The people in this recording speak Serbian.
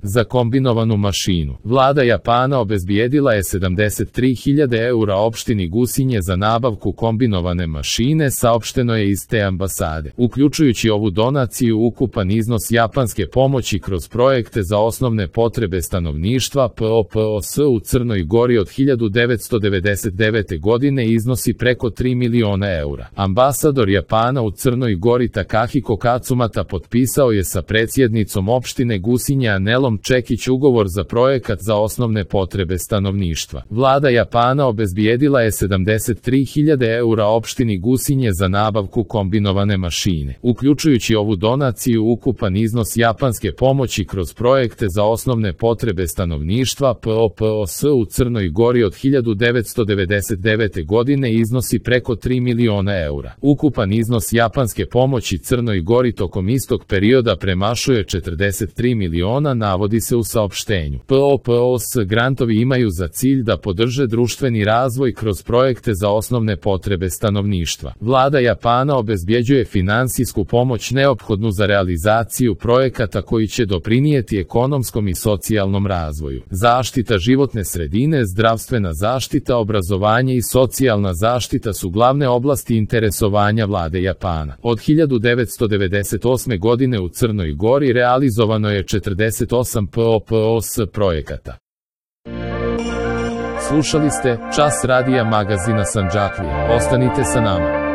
Za kombinovanu mašinu, vlada Japana obezbijedila je 73.000 eura opštini Gusinje za nabavku kombinovane mašine, saopšteno je iz te ambasade. Uključujući ovu donaciju, ukupan iznos japanske pomoći kroz projekte za osnovne potrebe stanovništva POPOS u Crnoj Gori od 1999. godine iznosi preko 3 miliona eura. Ambasador Japana u Crnoj Gori Takahiko Katsumata potpisao je sa predsjednicom opštine Gusinje Anelom Čekić ugovor za projekat za osnovne potrebe stanovništva. Vlada Japana obezbijedila je 73.000 eura opštini Gusinje za nabavku kombinovane mašine. Uključujući ovu donaciju, ukupan iznos japanske pomoći kroz projekte za osnovne potrebe stanovništva POPOS u Crnoj Gori od 1999. godine iznosi preko 3 miliona eura. Ukupan iznos japanske pomoći Crnoj Gori tokom istog perioda premašuje 43 miliona, navodi se u saopštenju. POPOS grantovi imaju za cilj da podrže društveni razvoj kroz projekte za osnovne potrebe stanovništva. Vlada Japana obezbjeđuje finansijsku pomoć neophodnu za realizaciju projekata koji će doprinijeti ekonomskom i socijalnom razvoju. Zaštita životne sredine, zdravstvena zaštita, obrazovanje i socijalna zaštita su glavne oblasti interesovanja vlade Japana. Od 1998. godine u Crnoj Gori realizovano je 48 POPOS projekata. Slušali ste Čas radija magazina Sandžaklija. Ostanite sa nama.